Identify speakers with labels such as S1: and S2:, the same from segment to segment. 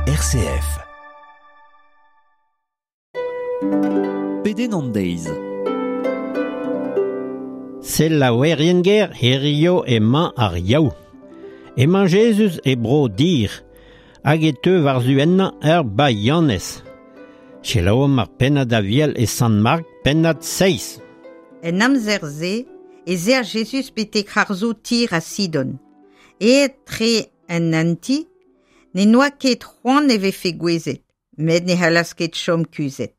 S1: RCF.
S2: Pedenn an deiz.
S3: Selaouerien ger hirio emañ ar Yaou. Emañ Jezuz e bro Dir, hag e teu war-zu ennañ ur baianez. Selaouomp ar pennad aviel e Sant-Mark, pennad 6.
S4: En amzer-se ez ea Jezuz betek harzoù Tir ha Sidon. Aet tre en anti, ne noa ket c'hoant e vefe gouezet, met ne c'hallas ket chom kuzhet.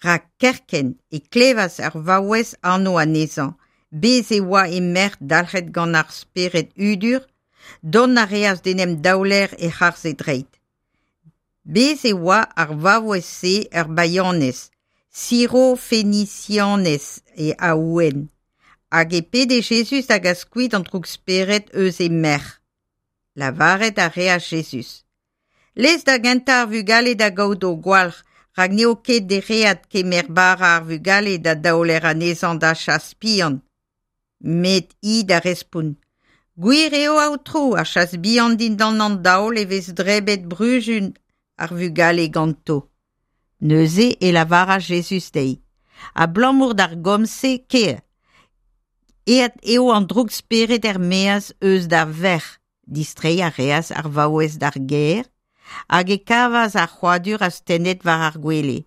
S4: Rak kerkent e klevas ar vaouez anv anezhañ, bez e oa e merc'h dalc'het gant ar spered hudur, dont a reas d'en em daoler e-harz e dreid. Bez e oa ar vaouez-se ur baianez, Siro-Fenisianez e a-ouenn, hag e pede Jezuz da gas kuit an droug-spered eus he merc'h. Lavaret a reas Jezuz. Lez da gentañ ar vugale da gaout o gwalc'h, rak n'eo ket dereat kemer bara ar vugale da daoler anezhañ da chas bihan. Met hi da respont. Gwir eo aotrou, ar chas bihan dindan an daol e vez drebet bruzun ar vugale ganto. Neuze e lavaras Jezuz dezhi. Abalamour d'ar gomz-se kae. Aet eo an droug-spered er-maez eus da verc'h. Distreiñ a reas ar vaouez d'ar gêr hag e kavas ar c'hrouadur astennet war ar gwele.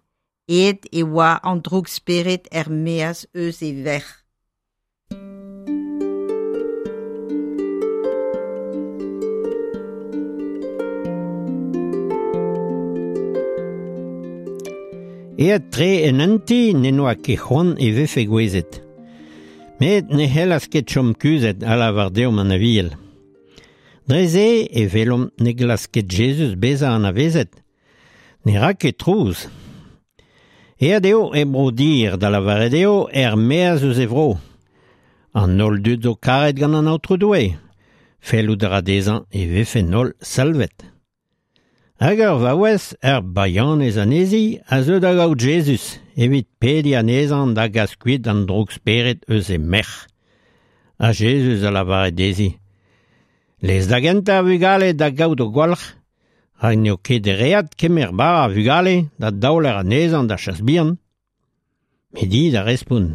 S4: Aet e oa an droug-spered er-maez eus e verc'h.
S3: Aet tre en un ti ne noa ket c'hoant e vefe gouezet. Met ne c'hellas ket chom kuzhet a lavar deomp an aviel. Dre se e welomp ne glask ket Jezuz bezañ anavezet. Ne ra ket trouz. Aet eo e bro Dir, da lavaret eo er-maez eus e vro. An holl dud zo karet gant an Aotrou Doue. Fellout a ra dezhañ e vefe holl salvet. Hag ur vaouez, ur baianez anezhi, a zeu da gaout Jezuz evit pediñ anezhañ da gas kuit an droug-spered eus he merc'h. Ha Jezuz a lavare dezhi. Lez da gentañ ar vugale da gaout o gwalc'h, rak n'eo ket dereat kemer bara ar vugale da daoler anezhañ da chas bihan. Met hi da respont.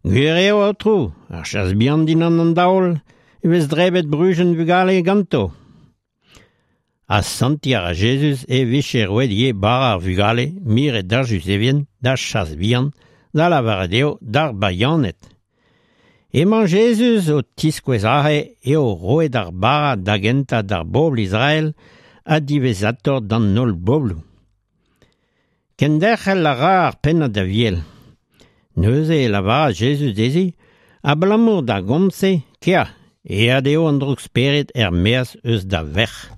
S3: Gwir eo, aotrou, ar chas bihan dindan an daol e vez drebet bruzun vugale ganto. Ha santiñ a ra Jezuz e vije roet ivez bara ar vugale miret d'ar Juzevien, d'ar chas bihan, da lavaret eo d'ar baianed. Emañ Jezuz o tiskouez aze eo roet ar bara da gentañ d'ar bobl Israel ha diwezhatoc'h d'an holl bobloù. Kenderc'hel a ra ar pennad aviel. Neuze e lavaras Jezuz dezhi, abalamour d'ar gomz-se, kea, aet eo an droug-spered er-maez eus da verc'h.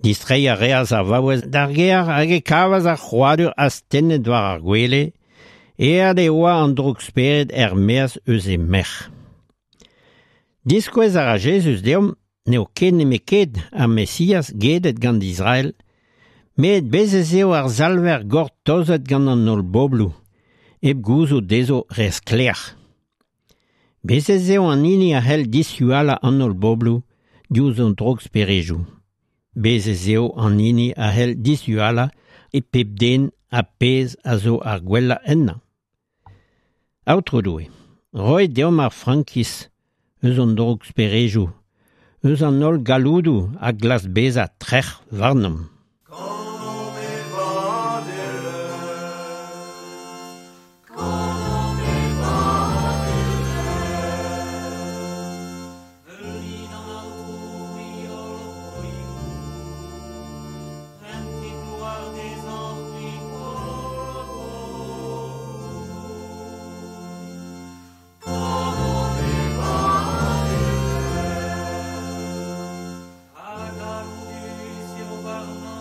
S3: Distreiñ a reas ar vaouez d'ar gêr hag e kavas ar c'hrouadur astennet war ar gwele, aet e oa an droug-spered er-maez eus he merc'h. Diskouez a ra Jezuz deomp n'eo ket nemet ket ar Mesiaz gedet gant Israel, met bez' ez eo ar Salver gortozet gant an holl bobloù, hep gouzout dezho re sklaer. Bez' ez eo an hini a c'hell dishualañ an holl bobloù diouzh an droug-sperejoù. Bez' ez eo an hini a c'hell dishualañ e pep den ar pezh a zo ar gwellañ ennañ. Aotrou Doue, roit deomp ar frankiz eus an droug-sperejoù, eus an holl galloudoù a glask bezañ trec'h warnomp.
S5: Kanomp e vadelezh, kanomp e vadelezh. Meulit an Aotrou, c'hwi holl broioù, rentit gloar dezhañ, c'hwi holl bobloù. Kanomp e vadelezh, ha galloudus eo warnañ.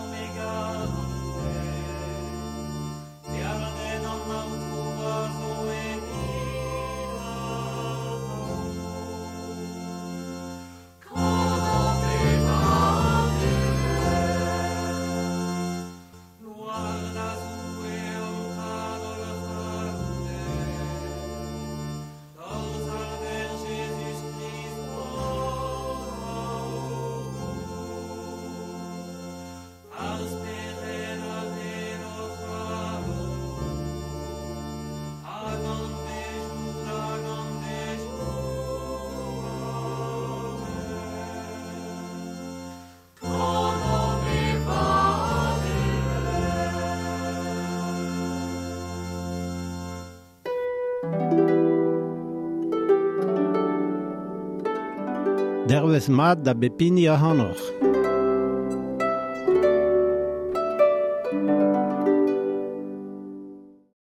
S3: Dervez mat da bep hini ac'hanoc'h.